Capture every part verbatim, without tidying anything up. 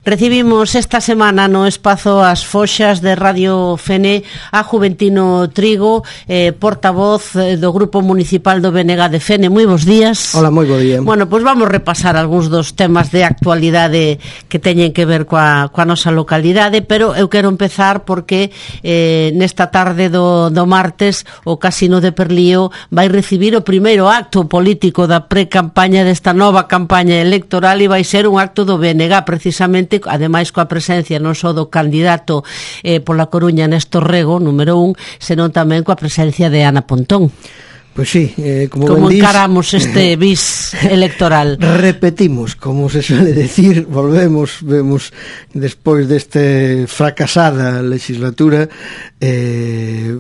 Recibimos esta semana no espazo As Foxas de Radio Fene a Juventino Trigo, eh, portavoz do Grupo Municipal do B N G de Fene. Moi bons días. Hola, moi bo día. Bueno, pois pues vamos repasar algúns dos temas de actualidade que teñen que ver coa, coa nosa localidade, pero eu quero empezar porque eh, nesta tarde do, do martes o Casino de Perlío vai recibir o primeiro acto político da pre-campaña desta nova campaña electoral e vai ser un acto do B N G, precisamente, ademais coa presencia non só do candidato eh, pola Coruña Néstor Rego, número un, senón tamén coa presencia de Ana Pontón. Pois sí, eh, como, como ben encaramos dis, este bis electoral? Repetimos, como se suele decir, volvemos, vemos despois deste fracasada legislatura eh,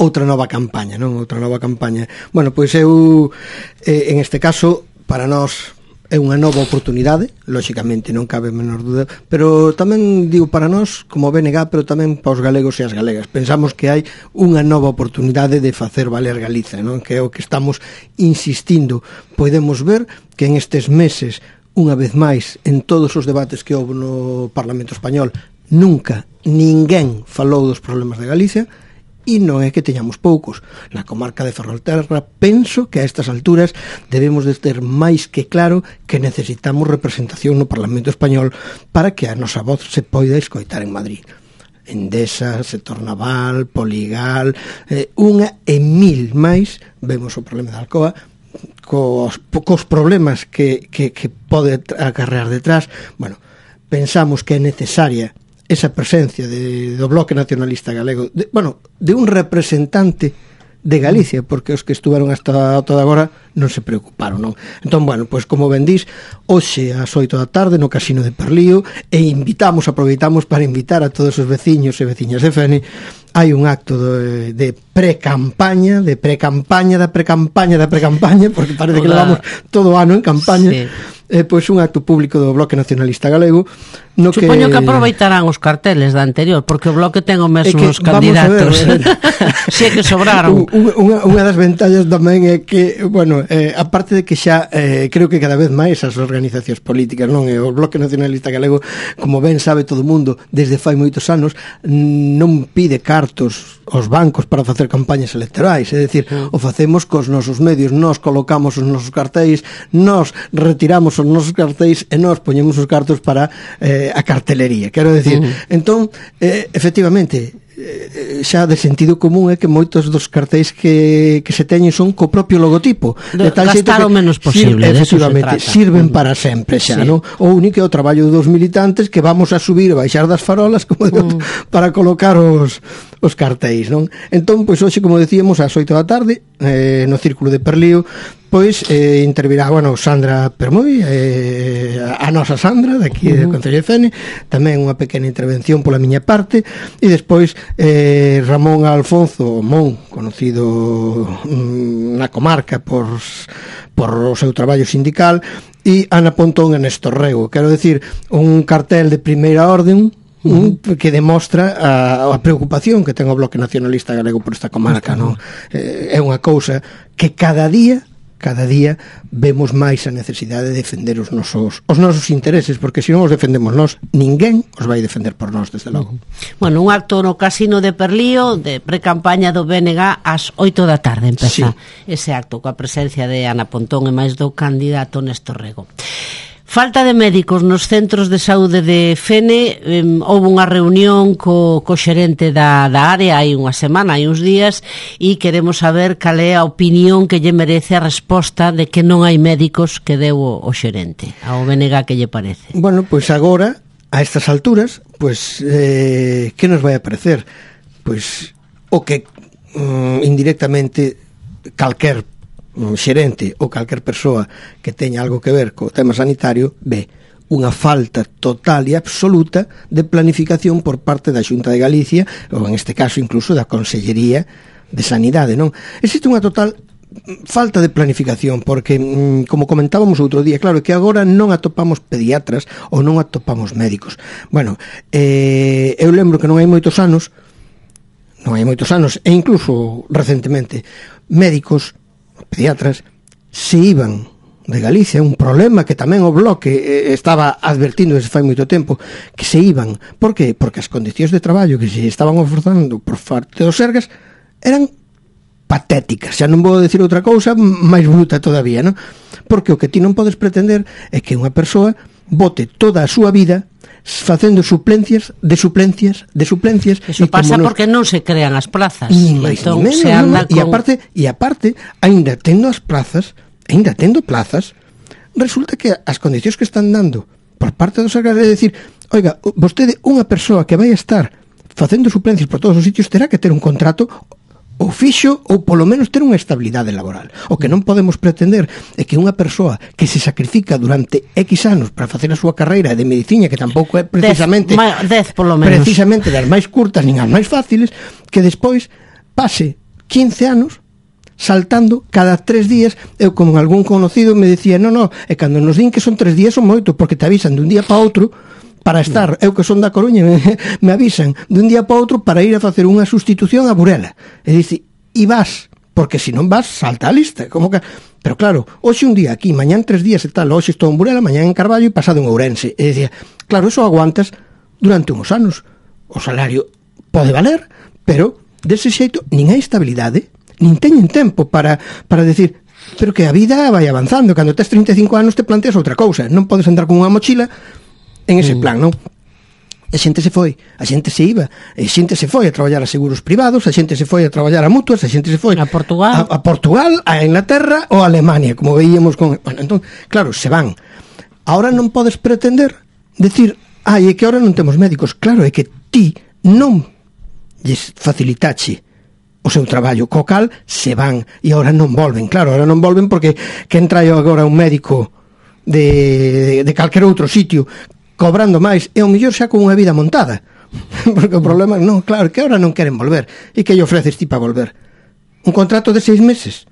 outra nova campaña, non? Outra nova campaña. Bueno, pois eu, eh, en este caso, para nós é unha nova oportunidade, lóxicamente non cabe a menor dúda, pero tamén digo para nós como B N G, pero tamén para os galegos e as galegas. Pensamos que hai unha nova oportunidade de facer valer Galiza, non? Que é o que estamos insistindo. Podemos ver que en estes meses, unha vez máis, en todos os debates que houve no Parlamento Español, nunca ninguén falou dos problemas de Galicia. E non é que teñamos poucos. Na comarca de Ferrolterra penso que a estas alturas debemos de ter máis que claro que necesitamos representación no Parlamento Español para que a nosa voz se poida escoitar en Madrid. Endesa, sector naval, Poligal, eh, unha e mil máis. Vemos o problema da Alcoa, cos, cos problemas que, que, que pode acarrear detrás. Bueno, pensamos que é necesaria esa presencia de, do Bloque Nacionalista Galego, de, bueno, de un representante de Galicia, porque os que estuveron hasta toda agora non se preocuparon, non? Entón, bueno, pois como ben dís, hoxe ás oito da tarde no Casino de Perlío, e invitamos, aproveitamos para invitar a todos os veciños e veciñas de Fene. Hai un acto de, de pre-campaña, de pre-campaña, da pre-campaña, da pre-campaña, porque parece que levamos todo o ano en campaña. Sí. Eh, pois un acto público do Bloque Nacionalista Galego, no Supoño que... que aproveitarán os carteles da anterior, porque o Bloque ten o mesmo os candidatos. Ver, si é que sobraron. Unha, unha das ventallas tamén é que, bueno, eh, aparte de que xa eh, creo que cada vez máis as organizacións políticas, non, e o Bloque Nacionalista Galego, como ben sabe todo o mundo, desde fai moitos anos non pide cartos aos bancos para facer campañas electorais, é dicir, mm. o facemos cos nosos medios, nós colocamos os nosos cartéis, nós retiramos os nosos cartéis e nós poñemos os cartos para eh, a cartelería, quero decir. Mm. Entón, eh, efectivamente, eh, xa de sentido común é que moitos dos cartéis que, que se teñen son co propio logotipo, de, de tal gastar o menos posible, sir, efectivamente, se sirven mm. para sempre xa, sí. Non? O único é o traballo dos militantes que vamos a subir e baixar das farolas como mm. para colocar os os cartéis, non? Entón, pois hoxe, como decíamos, ás oito da tarde, eh, no Círculo de Perlío, pois eh, intervirá, bueno, Sandra Permoi, eh, a nosa Sandra, daqui uh-huh. do Concello de Fene, tamén unha pequena intervención pola miña parte, e despois eh, Ramón Alfonso Mon, conocido mm, na comarca por, por o seu traballo sindical, e Ana Pontón e Néstor Rego. Quero decir, un cartel de primeira orden, Uh-huh. que demostra a, a preocupación que ten o Bloque Nacionalista Galego por esta comarca, non? Eh, é unha cousa que cada día cada día vemos máis a necesidade de defender os nosos os nosos intereses, porque se non os defendemos nós, ninguén os vai defender por nós, desde logo. Uh-huh. Bueno, un acto no Casino de Perlío de pre-campaña do B N G ás oito da tarde empeza sí. ese acto coa presencia de Ana Pontón e máis do candidato Néstor Rego. Falta de médicos nos centros de saúde de Fene. eh, houve unha reunión co, co xerente da, da área hai unha semana, hai uns días, e queremos saber cal é a opinión que lle merece a resposta de que non hai médicos que deu o, o xerente ao B N G. Que lle parece? Bueno, pois agora, a estas alturas, pois eh, que nos vai a parecer? Pois o que mm, indirectamente calquer un xerente ou calquer persoa que teña algo que ver co tema sanitario ve unha falta total e absoluta de planificación por parte da Xunta de Galicia, ou en este caso incluso da Consellería de Sanidade, non? Existe unha total falta de planificación, porque, como comentábamos outro día, claro, que agora non atopamos pediatras ou non atopamos médicos. Bueno, eh, eu lembro que non hai moitos anos, non hai moitos anos, e incluso recentemente, médicos, pediatras, se iban de Galicia, un problema que tamén o Bloque eh, estaba advertindo desde fai moito tempo, que se iban. Por que? Porque as condicións de traballo que se estaban ofertando por parte dos Sergas eran patéticas, xa non vou decir outra cousa máis bruta todavía, non? Porque o que ti non podes pretender é que unha persoa bote toda a súa vida facendo suplencias de suplencias de suplencias. Eso pasa nos... porque non se crean as plazas. Ni máis entón, ni menos, se anda no, no. Con... E aparte, e aparte, aínda tendo as plazas, aínda tendo plazas, resulta que as condicións que están dando por parte dos Sergas é decir, oiga, vostede, unha persoa que vai a estar facendo suplencias por todos os sitios terá que ter un contrato ou fixo ou polo menos ter unha estabilidade laboral. O que non podemos pretender é que unha persoa que se sacrifica durante X anos para facer a súa carreira de medicina, que tampouco é precisamente dez, dez polo menos. precisamente das máis curtas nin as máis fáciles, que despois pase quince anos saltando cada tres días. Eu, como algún conocido me decía, no, no, e cando nos din que son tres días son moito, porque te avisan dun día para outro para estar, eu que son da Coruña, me, me avisan dun día para outro para ir a facer unha sustitución a Burela. É dicir, e vas, porque se non vas, salta a lista. Como que... Pero claro, hoxe un día aquí, mañán tres días e tal, hoxe estou en Burela, mañán en Carballo e pasado en Ourense. É dicir, claro, eso aguantas durante uns anos. O salario pode valer, pero dese xeito nin hai estabilidade, nin teñen tempo para, para decir, pero que a vida vai avanzando. Cando tes trinta e cinco anos te planteas outra cousa. Non podes andar con unha mochila en ese plan, non? A xente se foi, a xente se iba, a xente se foi a traballar a seguros privados, a xente se foi a traballar a mutuas, a xente se foi a Portugal, a, a Portugal, a Inglaterra ou a Alemania, como veíamos con... Bueno, entón, claro, se van. Ahora non podes pretender decir, ai, é que ahora non temos médicos. Claro, é que ti non lles facilitache o seu traballo, co cal se van e ahora non volven. Claro, ahora non volven porque que entra agora un médico de, de, de calquer outro sitio cobrando máis, e ao mellor xa con unha vida montada. Porque o problema, non, claro, que ahora non queren volver. E que lle ofreces ti para volver? Un contrato de seis meses?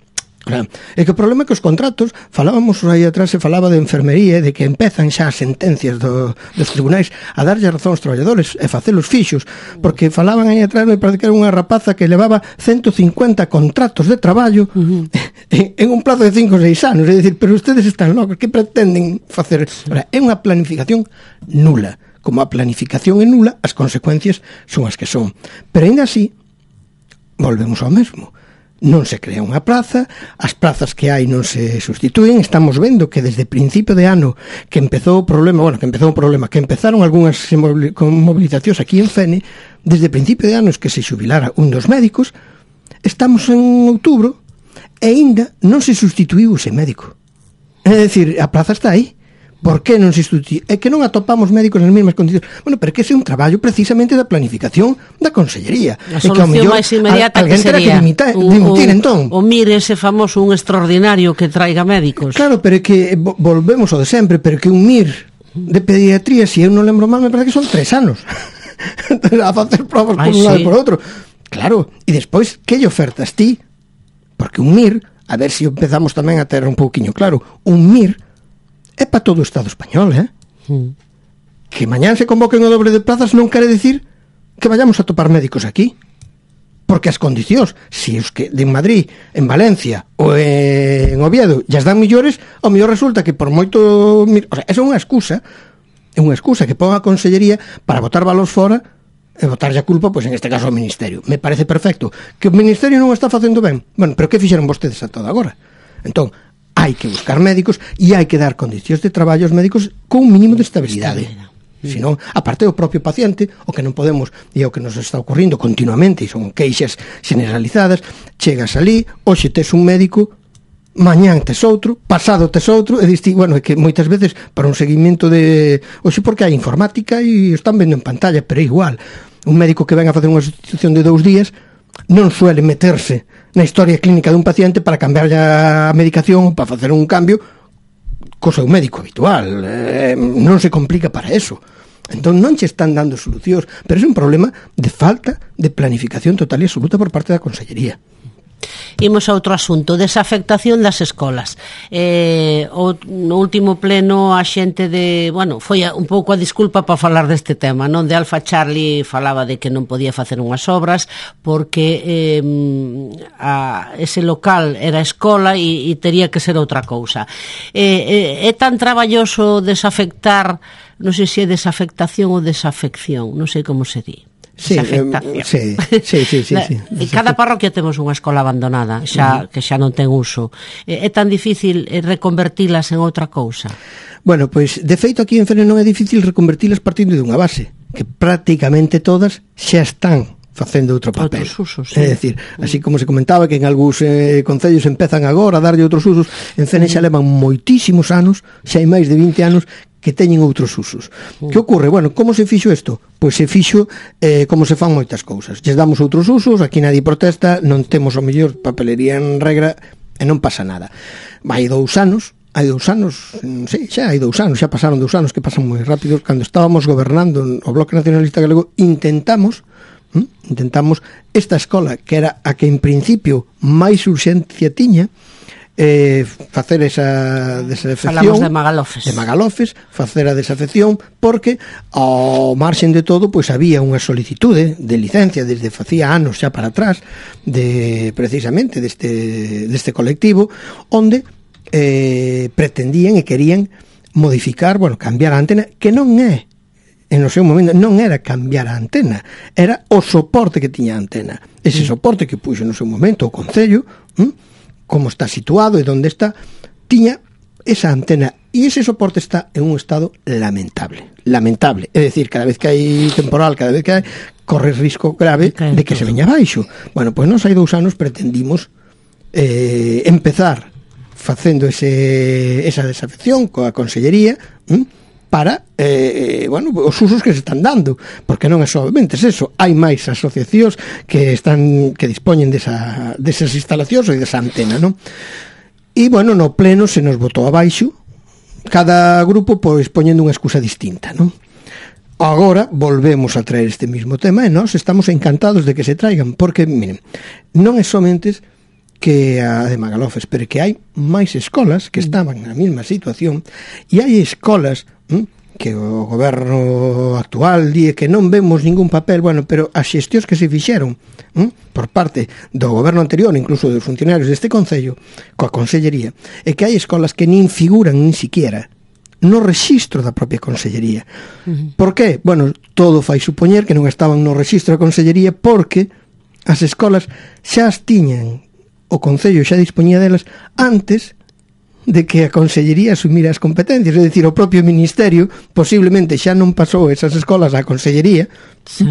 Claro. E que o problema é que os contratos, falábamos aí atrás, se falaba de enfermería, de que empezan xa as sentencias do, dos tribunais a darlle razón aos traballadores e facelos fixos, porque falaban aí atrás, me parece que era unha rapaza que levaba ciento cincuenta contratos de traballo uh-huh. en, en un plazo de cinco ou seis anos. É dicir, pero ustedes están locos, que pretenden facer? Ahora, é unha planificación nula. Como a planificación é nula, as consecuencias son as que son. Pero ainda así, volvemos ao mesmo. Non se crea unha praza, as prazas que hai non se sustituen. Estamos vendo que desde principio de ano que empezou o problema, bueno, que empezou o problema, que empezaron algunhas movilizacións aquí en Fene, desde principio de anos que se xubilara un dos médicos, estamos en outubro e aínda non se sustituiu ese médico. É dicir, a praza está aí. Por que non se sustitui? É que non atopamos médicos nas mesmas condicións. Bueno, pero que ese é un traballo precisamente da planificación da Consellería. A solución máis inmediata que sería que dimita, dimitir, o, entón. O mire ese famoso un extraordinario que traiga médicos. Claro, pero é que volvemos ao de sempre, pero que un M I R de pediatría, se si eu non lembro mal, me parece que son tres anos. A facer provas por un lado e por outro. Claro, e despois, que lle ofertas ti? Porque un M I R, a ver se si empezamos tamén a ter un pouquiño claro, un M I R é para todo o Estado español, eh? Mm. Que mañán se convoquen o dobre de plazas non quere decir que vayamos a topar médicos aquí. Porque as condicións, se os que de Madrid, en Valencia ou en Oviedo ya dan millores, ao mellor resulta que por moito... O sea, esa é unha excusa, é unha excusa que pon a Consellería para botar valores fora e botarlle a culpa, pois en este caso ao Ministerio. Me parece perfecto. Que o Ministerio non o está facendo ben. Bueno, pero que fixeron vostedes a todo agora? Entón, hai que buscar médicos e hai que dar condicións de traballo aos médicos con un mínimo de estabilidade. Senón, aparte do propio paciente, o que non podemos, e o que nos está ocurrindo continuamente, e son queixas generalizadas, chegas ali, hoxe tes un médico, mañán tes outro, pasado tes outro, e diste, bueno, é que moitas veces para un seguimento de... Hoxe porque hai informática e están vendo en pantalla, pero é igual. Un médico que ven a facer unha sustitución de dous días non suele meterse na historia clínica dun paciente para cambiar a medicación, para facer un cambio co seu médico habitual. Eh, non se complica para eso. Entón non che están dando solucións, pero é un problema de falta de planificación total e absoluta por parte da Consellería. Imos a outro asunto, desafectación das escolas. Eh, o, no último pleno a xente de, bueno, foi un pouco a disculpa para falar deste tema, non? De Alfa Charlie falaba de que non podía facer unhas obras porque eh, a, ese local era escola e, e tería que ser outra cousa. Eh, eh, é tan traballoso desafectar, non sei se é desafectación ou desafección, non sei como se di. Sí, eh, sí, sí, sí, sí, sí. En cada parroquia temos unha escola abandonada xa, uh-huh. que xa non ten uso. É tan difícil reconvertilas en outra cousa? Bueno, pois de feito aquí en Fene non é difícil reconvertilas partindo de unha base, que prácticamente todas xa están facendo outro papel. Outros usos, sí. É dicir, así como se comentaba que en algúns eh, concellos empezan agora a darlle outros usos, en Fene xa levan moitísimos anos, xa hai máis de vinte anos que teñen outros usos. Mm. Que ocorre? Bueno, como se fixo isto? Pois se fixo eh, como se fan moitas cousas. Lles damos outros usos, aquí nadie protesta, non temos o mellor papelería en regra e non pasa nada. Hai dous anos, hai dous anos, sí, xa hai dous anos, xa pasaron dous anos que pasan moi rápido, cando estábamos gobernando o Bloque Nacionalista Galego, intentamos hm, intentamos esta escola, que era a que en principio máis urxencia tiña, eh, facer esa desafección. Falamos de Magalofes. De Magalofes, facer a desafección, porque ao marxen de todo, pois había unha solicitude de licencia desde facía anos xa para atrás, de precisamente deste, deste colectivo, onde eh, pretendían e querían modificar, bueno, cambiar a antena, que non é, en o seu momento, non era cambiar a antena, era o soporte que tiña a antena. Ese soporte que puxo no seu momento o Concello, hm? como está situado e onde está, tiña esa antena, e ese soporte está en un estado lamentable, lamentable, é dicir, cada vez que hai temporal, cada vez que hai, corre risco grave de que se veña abaixo. Bueno, pois nos hai dous anos pretendimos eh, empezar facendo ese, esa desafección coa Consellería, hm? para, eh, bueno, os usos que se están dando, porque non é solamente eso, hai máis asociacións que están que dispoñen desa, desas instalacións e desa antena, non? E, bueno, no pleno se nos botou abaixo, cada grupo pois poñendo unha excusa distinta, non? Agora volvemos a traer este mismo tema e nós estamos encantados de que se traigan, porque, miren, non é somente que a de Magalofes, pero que hai máis escolas que estaban na mesma situación, e hai escolas hm, que o goberno actual di que non vemos ningún papel, bueno, pero as xestións que se fixeron hm, por parte do goberno anterior, incluso dos funcionarios deste Concello, coa Consellería, é que hai escolas que nin figuran nin siquiera no rexistro da propia Consellería. Uh-huh. Por qué? Bueno, todo fai supoñer que non estaban no rexistro da Consellería porque as escolas xa as tiñan, o Concello xa dispoñía delas antes de que a Consellería asumira as competencias, é dicir, o propio Ministerio posiblemente xa non pasou esas escolas á Consellería, sí.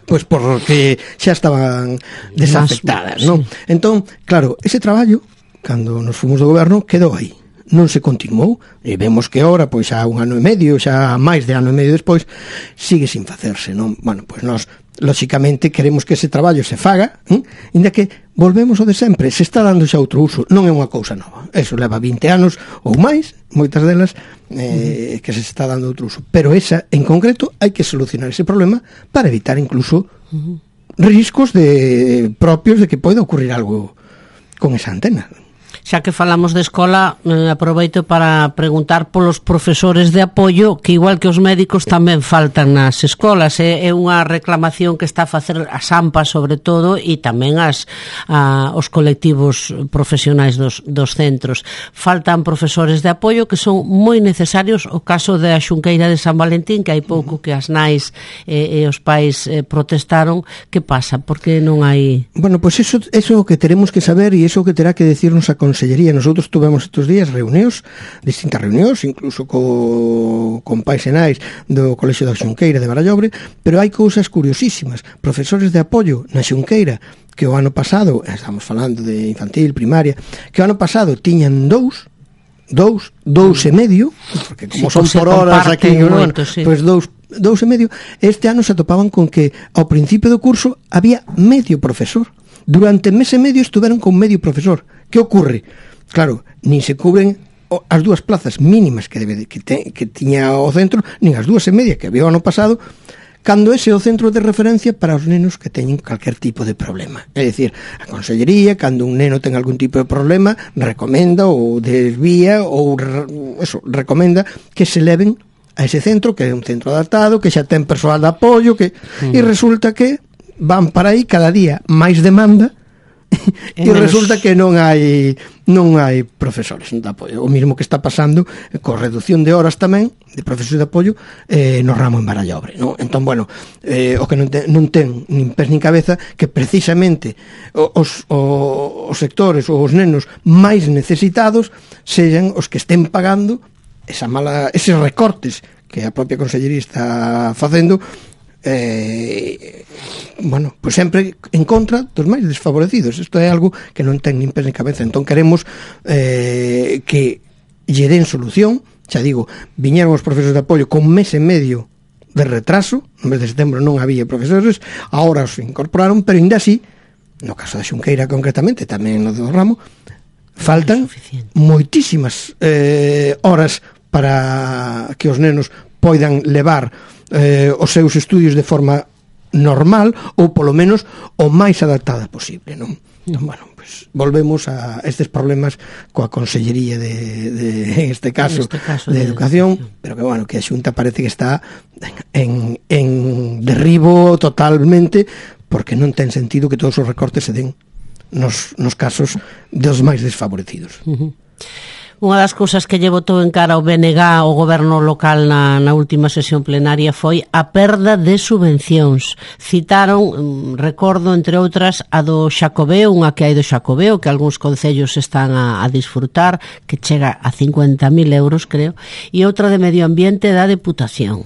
Pois porque xa estaban desafectadas, non? Sí. Entón, claro, ese traballo, cando nos fomos do goberno, quedou aí, non se continuou, e vemos que ahora, pois xa un ano e medio, xa máis de ano e medio despois, sigue sin facerse, non? Bueno, pois nós lóxicamente queremos que ese traballo se faga, ¿eh? Inda que volvemos ao de sempre, se está dando xa outro uso, non é unha cousa nova, eso leva vinte anos ou máis, moitas delas eh, uh-huh. que se está dando outro uso, pero esa en concreto hai que solucionar ese problema para evitar incluso uh-huh. riscos de propios de que poida ocurrir algo con esa antena. Xa que falamos de escola, eh, aproveito para preguntar polos profesores de apoio, que igual que os médicos tamén faltan nas escolas. É, é unha reclamación que está a facer as AMPA sobre todo e tamén as, a, os colectivos profesionais dos, dos centros. Faltan profesores de apoio que son moi necesarios. O caso da Xunqueira de San Valentín, que hai pouco que as nais e, e os pais eh, protestaron. Que pasa? Por que non hai... Bueno, pois pues eso, eso que teremos que saber e eso que terá que decirnos a Consellería. Nosotros tuvemos estes días reunións, distintas reunións, incluso co, con pais e nais do Colexio da Xunqueira de Barallobre, pero hai cousas curiosísimas. Profesores de apoio na Xunqueira, que o ano pasado, estamos falando de infantil, primaria, que o ano pasado tiñan dous, dous, dous e medio, porque como sí, son por horas aquí, moito, sí. Pois dous, dous e medio, este ano se atopaban con que ao principio do curso había medio profesor. Durante mes e medio estuveron con medio profesor. Que ocurre? Claro, nin se cubren as dúas plazas mínimas que debe que, te, que tiña o centro, nin as dúas e media que había o ano pasado. cando ese é o centro de referencia para os nenos que teñen calquer tipo de problema. É dicir, a Consellería, cando un neno ten algún tipo de problema, recomenda ou desvía ou eso, recomenda que se leven a ese centro, que é un centro adaptado, que xa ten persoal de apoio, que mm. e resulta que van para aí cada día máis demanda e menos... resulta que non hai non hai profesores de apoio. O mismo que está pasando con reducción de horas tamén de profesores de apoio eh, no ramo en Barallobre, non? Entón, bueno, eh, o que non ten, non ten nin pés nin cabeza que precisamente os, os, os sectores ou os nenos máis necesitados sexan os que estén pagando esa mala, eses recortes que a propia Consellería está facendo, eh, bueno, pues sempre en contra dos máis desfavorecidos. Isto é algo que non ten nin pés nin cabeza. Entón queremos eh, que lle den solución. Xa digo, viñeron os profesores de apoio con mes e medio de retraso, no mes de setembro non había profesores, agora os incorporaron, pero ainda así, no caso da Xunqueira concretamente, tamén no do ramo, faltan moitísimas eh, horas para que os nenos poidan levar eh, os seus estudios de forma normal ou polo menos o máis adaptada posible, non? Entón, bueno, pues volvemos a estes problemas coa Consellería de, de en este caso, en este caso de, de educación, educación, pero que bueno, que a Xunta parece que está en, en derribo totalmente, porque non ten sentido que todos os recortes se den nos, nos casos dos máis desfavorecidos. Uh-huh. Unha das cousas que lle botou en cara ao B N G o goberno local na, na última sesión plenaria foi a perda de subvencións. Citaron, recordo, entre outras, a do Xacobeo, unha que hai do Xacobeo, que algúns concellos están a, a disfrutar, que chega a cincuenta mil euros, creo, e outra de Medio Ambiente da Deputación.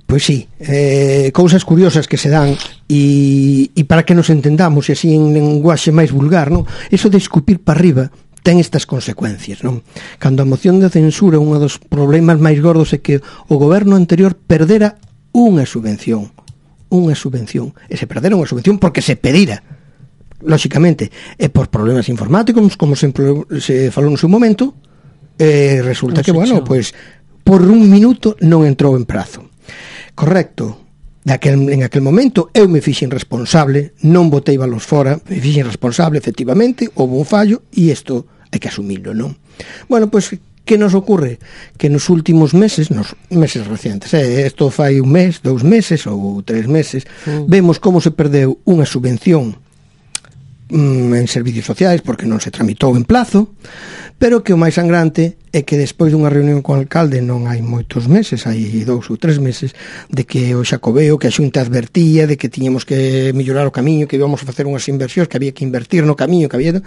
Pois sí, eh, cousas curiosas que se dan e, e para que nos entendamos, e así en lenguaxe máis vulgar, non? Eso de escupir para arriba ten estas consecuencias, non? Cando a moción de censura, un dos problemas máis gordos é que o goberno anterior perdera unha subvención, unha subvención, e se perdera unha subvención porque se pedira, lóxicamente, e por problemas informáticos, como sempre se falou no seu momento, e resulta que, bueno, pois, por un minuto non entrou en prazo. Correcto. Daquel, en aquel momento eu me fixen responsable, non botei balos fora, me fixen responsable, efectivamente, houve un fallo e isto hai que asumilo, non? Bueno, pois, que nos ocurre? Que nos últimos meses, nos meses recientes, eh, isto fai un mes, dous meses ou tres meses, mm. vemos como se perdeu unha subvención mm, en servicios sociais porque non se tramitou en plazo, pero que o máis sangrante é que despois dunha reunión con o alcalde non hai moitos meses, hai dous ou tres meses, de que o Xacobeo, que a Xunta advertía de que tiñamos que mellorar o camiño, que íbamos a facer unhas inversións, que había que invertir no camiño que había.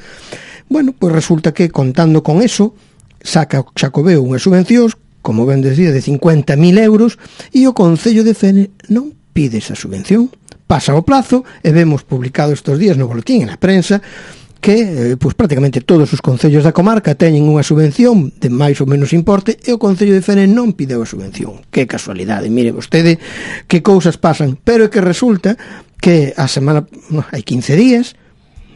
Bueno, pois resulta que contando con eso, saca o Xacobeo unhas subvencións, como ben decía, de cincuenta mil euros, e o Concello de Fene non pide esa subvención. Pasa o plazo e vemos publicado estes días no boletín, en a prensa, que eh, pues, prácticamente todos os concellos da comarca teñen unha subvención de máis ou menos importe e o Concello de Fene non pideu a subvención. Que casualidade, mire vostede que cousas pasan, pero é que resulta que a semana, no, hai quince días,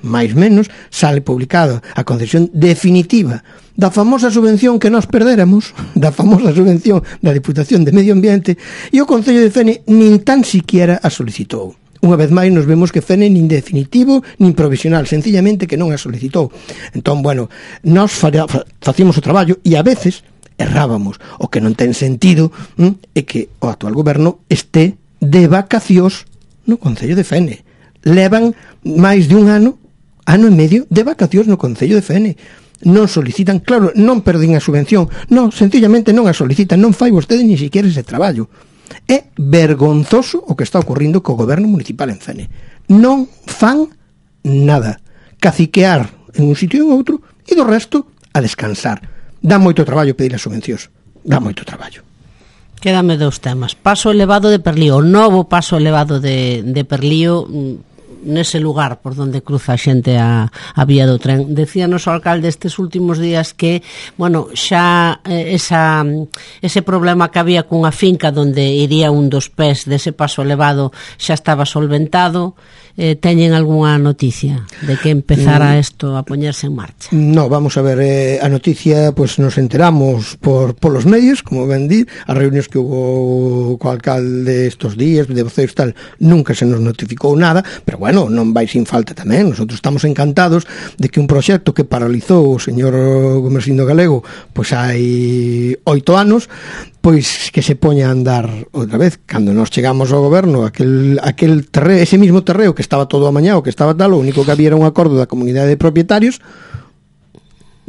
máis menos, sale publicada a concesión definitiva da famosa subvención que nós perdéramos, da famosa subvención da Diputación de Medio Ambiente, e o Concello de Fene nin tan siquiera a solicitou. Unha vez máis nos vemos que Fene nin definitivo nin provisional, sencillamente que non a solicitou. Entón, bueno, nós facíamos o traballo e a veces errábamos. O que non ten sentido hm, é que o actual goberno este de vacacións no Concello de Fene. Levan máis de un ano, ano e medio, de vacacións no Concello de Fene. Non solicitan, claro, non perdín a subvención, non, sencillamente non a solicitan, non fai vostede ni siquiera ese traballo. É vergonzoso o que está ocurrindo co goberno municipal en Fene. Non fan nada. Caciquear en un sitio e en outro e do resto a descansar. Dá moito traballo pedir as subvencións. Dá moito traballo. Quédame dous temas. Paso elevado de Perlío. O novo paso elevado de, de Perlío nese lugar por donde cruza a xente a, a vía do tren. Decíanos o alcalde estes últimos días que, bueno, xa eh, esa, ese problema que había cunha finca donde iría un dos pés dese paso elevado xa estaba solventado. Eh, teñen algunha noticia de que empezara isto a poñerse en marcha? No, vamos a ver, eh, a noticia pues nos enteramos por polos medios, como ben dir, as reunións que hubo co alcalde estos días de voceos tal, nunca se nos notificou nada, pero bueno, non vai sin falta tamén. Nosotros estamos encantados de que un proxecto que paralizou o señor Gomersindo Galego pois hai oito anos, pois que se poña a andar outra vez. Cando nos chegamos ao goberno, aquel, aquel terreo, ese mismo terreo que estaba todo amañado, que estaba tal, o único que había era un acordo da comunidade de propietarios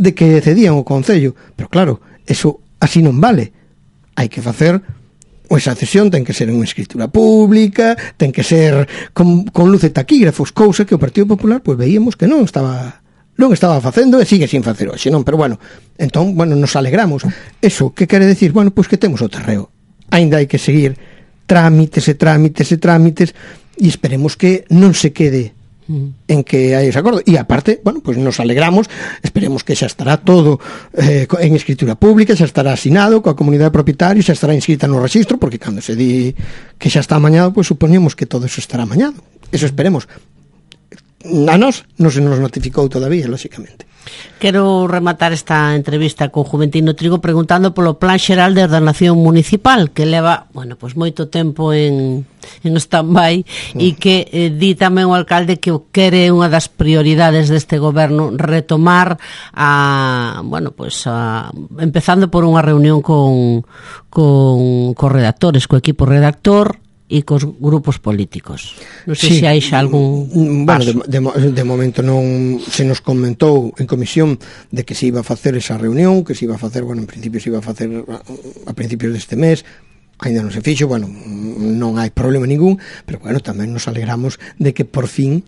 de que cedían o concello, pero claro, eso así non vale. Hai que facer ou esa cesión, ten que ser unha escritura pública, ten que ser con, con luz de taquígrafos, cousa que o Partido Popular pois veíamos que non estaba non estaba facendo e sigue sin facer hoxe, non? Pero bueno, entón, bueno, nos alegramos. Eso, que quere decir? Bueno, pois que temos o terreo. Ainda hai que seguir trámites e trámites e trámites e esperemos que non se quede en que hai ese acordo. E aparte, bueno, pois nos alegramos, esperemos que xa estará todo eh, en escritura pública, xa estará asinado coa comunidade de propietarios, xa estará inscrita no rexistro, porque cando se di que xa está amañado, pois supoñemos que todo eso estará amañado. Eso esperemos. A nós non se nos notificou todavía, lóxicamente. Quero rematar esta entrevista con Juventino Trigo preguntando polo Plan Xeral de Ordenación Municipal, que leva, bueno, pois moito tempo en, en stand-by mm. e que eh, di tamén o alcalde que o quere unha das prioridades deste goberno retomar a, bueno, pois a, empezando por unha reunión con con cos redactores, co equipo redactor e cos grupos políticos. Non sei sí. se hai xa algún paso. Bueno, de, de, de momento non se nos comentou en comisión de que se iba a facer esa reunión, que se iba a facer, bueno, en principio se iba a facer a, a principios deste mes, ainda non se fixo, bueno, non hai problema ningún, pero bueno, tamén nos alegramos de que por fin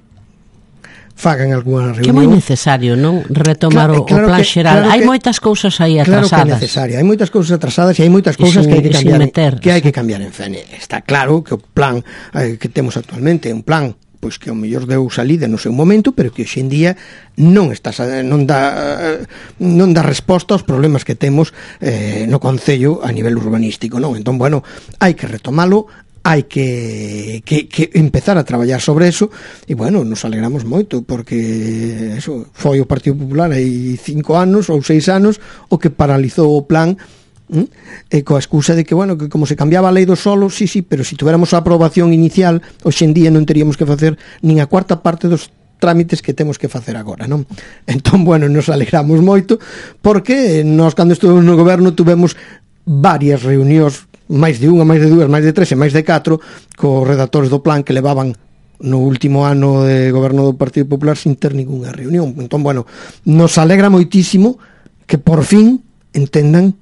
fagan algunha reunión. Que é moi necesario, non? Retomar claro, o, claro o plan que, xeral. Claro hai que, moitas cousas aí atrasadas. Claro que é necesario. Hai moitas cousas atrasadas e hai moitas cousas que hai que cambiar, en, que hai que cambiar en Fene. Está claro que o plan eh, que temos actualmente é un plan pois que ao mellor deu salida no seu momento, pero que hoxe en día non está non dá non dá resposta aos problemas que temos eh, no concello a nivel urbanístico, non? Entón, bueno, hai que retomalo, hai que, que, que empezar a traballar sobre eso e, bueno, nos alegramos moito porque eso foi o Partido Popular hai cinco anos ou seis anos o que paralizou o plan ¿Mm? E coa excusa de que, bueno, que como se cambiaba a lei do solo, sí, sí, pero se si tuéramos a aprobación inicial, hoxe en día non teríamos que facer nin a cuarta parte dos trámites que temos que facer agora, non? Entón, bueno, nos alegramos moito porque nós cando estuvemos no goberno tuvemos varias reunións, máis de unha, máis de dúas, máis de tres e máis de catro cos redactores do plan que levaban no último ano de goberno do Partido Popular sin ter ninguna reunión. Entón, bueno, nos alegra moitísimo que por fin entendan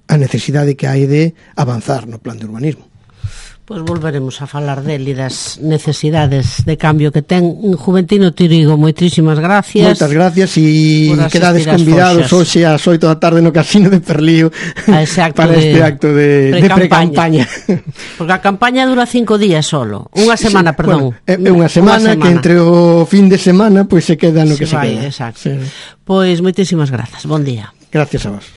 a necesidade que hai de avanzar no plan de urbanismo. Pois volveremos a falar del e das necesidades de cambio que ten Juventino Trigo. Moitísimas gracias. Moitas gracias e quedades convidados hoxe ás oito da tarde no Casino de Perlío para de, este acto de, de pre-campaña. Porque a campaña dura cinco días solo. Unha semana, sí, perdón. Bueno, é unha semana, semana que entre o fin de semana pois se queda no se que vai, se queda. Exacto. Sí. Pois moitísimas grazas. Bon día. Gracias a vos.